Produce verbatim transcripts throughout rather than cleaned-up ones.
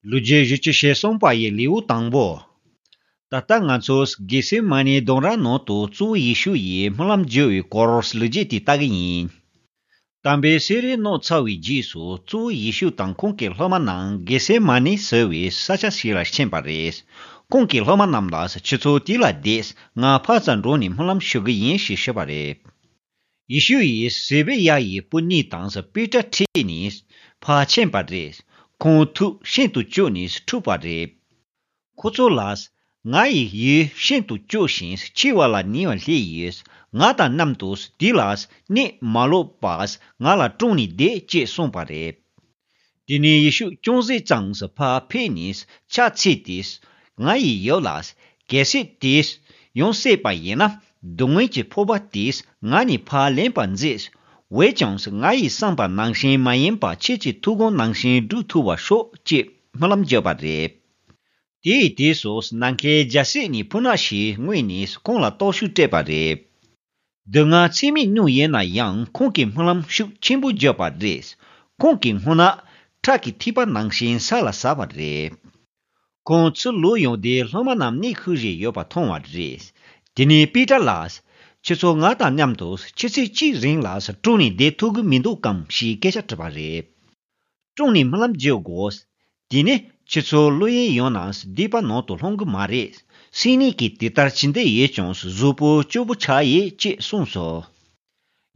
ལོ་རྒྱུས་བཞི་བཅུ་ཞེ་གསུམ་པ་ཡི་ལེའུ་དང་པོ། ད་ལྟ་ང་ཚོས་གེ་སེ་མ་ནེ་ལྡུམ་ར་ནང་དུ་གཙོ་བོ་ཡེ་ཤུ་ཡིས་སྨོན་ལམ་བརྗོད་པའི་སྐོར་ལོ་རྒྱུས་དེ་ལྟ་གི་ཡིན། དམ་པའི་གསེར་རིའི་ནང་ཚར་བའི་རྗེས་སུ་གཙོ་བོ་ཡེ་ཤུ་དང་ཁོང་གི་སློབ་མ་རྣམས་གེ་སེ་མ་ནེ་ཟེར་བའི་ས་ཆ་ཞིག་ལ་ཕྱིན་པ་རེད། ཁོང་གི་སློབ་མ་རྣམས་ལ། ཁྱེད་ཚོ་དེ་ལ་བསྡད། ང་ཕར་ཙམ་འགྲོ་ནས་སྨོན་ལམ་ཞུ་གི་ཡིན་ཞེས་ཞུས་པ་རེད། ཡེ་ཤུ་ཡིས་ཟེ་བེ་ཡ་ཡི་བུ་གཉིས་དང་པེ་ཏྲ་ཁྲིད་ནས་ཕར་ཕྱིན་པ་རེད། ཁོང་ཐུགས་ཤིན་ཏུ་སྐྱོ་ནས་འཁྲུགས་པ་རེད། ཁོ་ཚོ་ལ། ང་ཡི་ཡུལ་ཤིན་ཏུ་སྐྱོ་ཞིང་འཆི་བ་ལ་ཉེ་བར་སླེབས་ཡོད། ང་དང་མཉམ་དུ་འདི་ལ་གནས་མ་ལོག་པར་ང་ལ་དྲུང་ནས་བསྡད་ཅེས་གསུངས་པ་རེད། དེ་ནས་ཡེ་ཤུ་ཅུང་ཟད་ཙམ་ཕར་ཕེབས་ནས་ཕྱག་འཚལ་ཏེ། ང་ཡི་ཡབ་ལགས། གལ་སྲིད་དེ་ཡོང་སྲིད་པ་ཡིན་ན། སྡུག་བསྔལ་གྱི་ཕོར་པ་དེ་ང་ནས་ཕར་ལེན་པར་མཛད། འོན་ཀྱང་ང་ཡིས་བསམ་པ་ནང་བཞིན་མ་ཡིན་པར་ཁྱེད་ཀྱི་ཐུགས་དགོངས་ནང་བཞིན་འགྲུབ་ཐུབ་པར་ཤོག་ཅེས་སྨོན་ལམ་བརྒྱབ་པ་རེད། དེའི་དུས་སུ་ནམ་མཁའི་རྒྱལ་སྲིད་ནས་སྤུ་ན་ཞིག་མངོན་ནས་ཁོང་ལ་སྟོབས་ཤུགས་སྤྲད་པ་རེད། སྡུག་བསྔལ་ཚད་མེད་མྱོང་ཡོད་ན་ཡང་ཁོང་གིས་སྨོན་ལམ་ཤུགས་ཆེན་པོ་བརྒྱབ་པ་རེད། ཁོང་གི་སྨུག་ནག་ཁྲག་གི་ཐིགས་པ་ནང་བཞིན་ས་ལ་ཟགས་པ་རེད། ཁོང་ཚུར་ལོག་ཡོང་སྟེ་སློབ་མ་རྣམས་གནས་ཁུལ་རེ་ཡོད་པ་མཐོང་བ་རེད། དེ་ནས་པེ་ཏྲ་ལ། ཁྱེད་ཚོ་ང་དང་མཉམ་དུ་ཆུ་ཚོད་གཅིག་རིང་ལ་དྲུང་ནས་བསྡད་ཐུབ་ཀྱི་མི་འདུག་གམ་ཞེས་སྐད་ཆ་དྲིས་པ་རེད། དྲུང་ནས་སྨོན་ལམ་བརྗོད་དགོས། དེ་ནས་ཁྱེད་ཚོ་བློ་གཡེང་ཡོང་ན་སྡིག་པ་ནང་དུ་ལྷུང་གི་མ་རེད། སེམས་ནད་ཀྱིས་དེ་ལྟར་ཇི་འདྲ་ཡོད་ཀྱང་གཟུགས་པོ་སྐྱོ་པོ་ཆགས་ཡོད་ཅེས་གསུངས་སོ།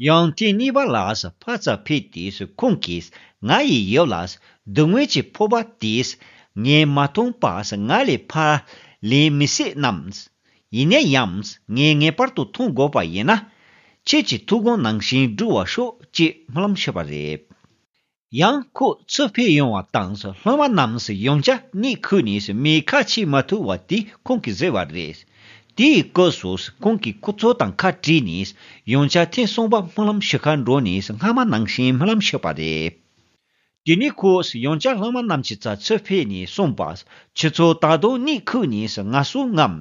ཡང་ཐེངས་གཉིས་པ་ལ་ཕར་ཙམ་ཕེབས་ཏེ་ཁོང་གིས་ང་ཡི་ཡབ་ལགས། སྡུག་བསྔལ་གྱི་ཕོར་པ་དེ་ངས་མ་འཐུང་བར་ང་ལས་ཕར་ལེན་མི་སྲིད་ནམ། ཡིན་ན་ཡང་ངས་ངེས་པར་དུ་འཐུང་དགོས་པ་ཡིན་ན། ཁྱེད་ཀྱི་ཐུགས་དགོངས་ནང་བཞིན་འགྲུབ་པར་ཤོག་ཅེས་སྨོན་ལམ་ཞུས་པ་རེད། ཡང་ཁོ་ཚུར་ཕེབས་ཡོང་བ་དང་སློབ་མ་རྣམས་ཡང་བསྐྱར་གནས་ཁུལ་ནས་མེ་ཁ་ཕྱེ་མ་ཐུབ་པ་དེ་ཁོང་གིས་གཟིགས་པ་རེད། དེའི་སྐབས་སུ་ཁོང་གིས་ཁོ་ཚོ་དང་ཁ་བྲལ་ནས་ཡང་བསྐྱར་ཐེངས་གསུམ་པ་སྨོན་ལམ་ཞུ་གར་འགྲོ་ནས་སྔ་མ་ནང་བཞིན་སྨོན་ལམ་ཞུས་པ་རེད། དེ་ནས་ཁོས་ཡང་བསྐྱར་སློབ་མ་རྣམས་ཀྱི་རྩར་ཚུར་ཕེབས་ནས་གསུངས་པ། ཁྱེད་ཚོ་ད་དུང་གནས་ཁུལ་ནས་ངལ་གསོ་ངམ།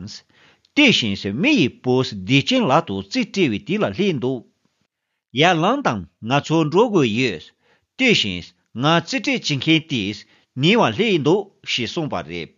དེ་བཞིན་མི་ཡི་བུ་བདེ་ཆེན་ལག་ཏུ་རྩིས་སྤྲད་པའི་དུས་ལ་སླེབས་འདུག་ཡར་ལངས་དང་། ང་ཚོ་འགྲོ་དགོས་ཡོད། དེ་བཞིན་ང་རྩིས་སྤྲད་བྱེད་མཁན་དེས་ཉེ་བར་སླེབས་འདུག་ཞེས་གསུངས་པ་རེད།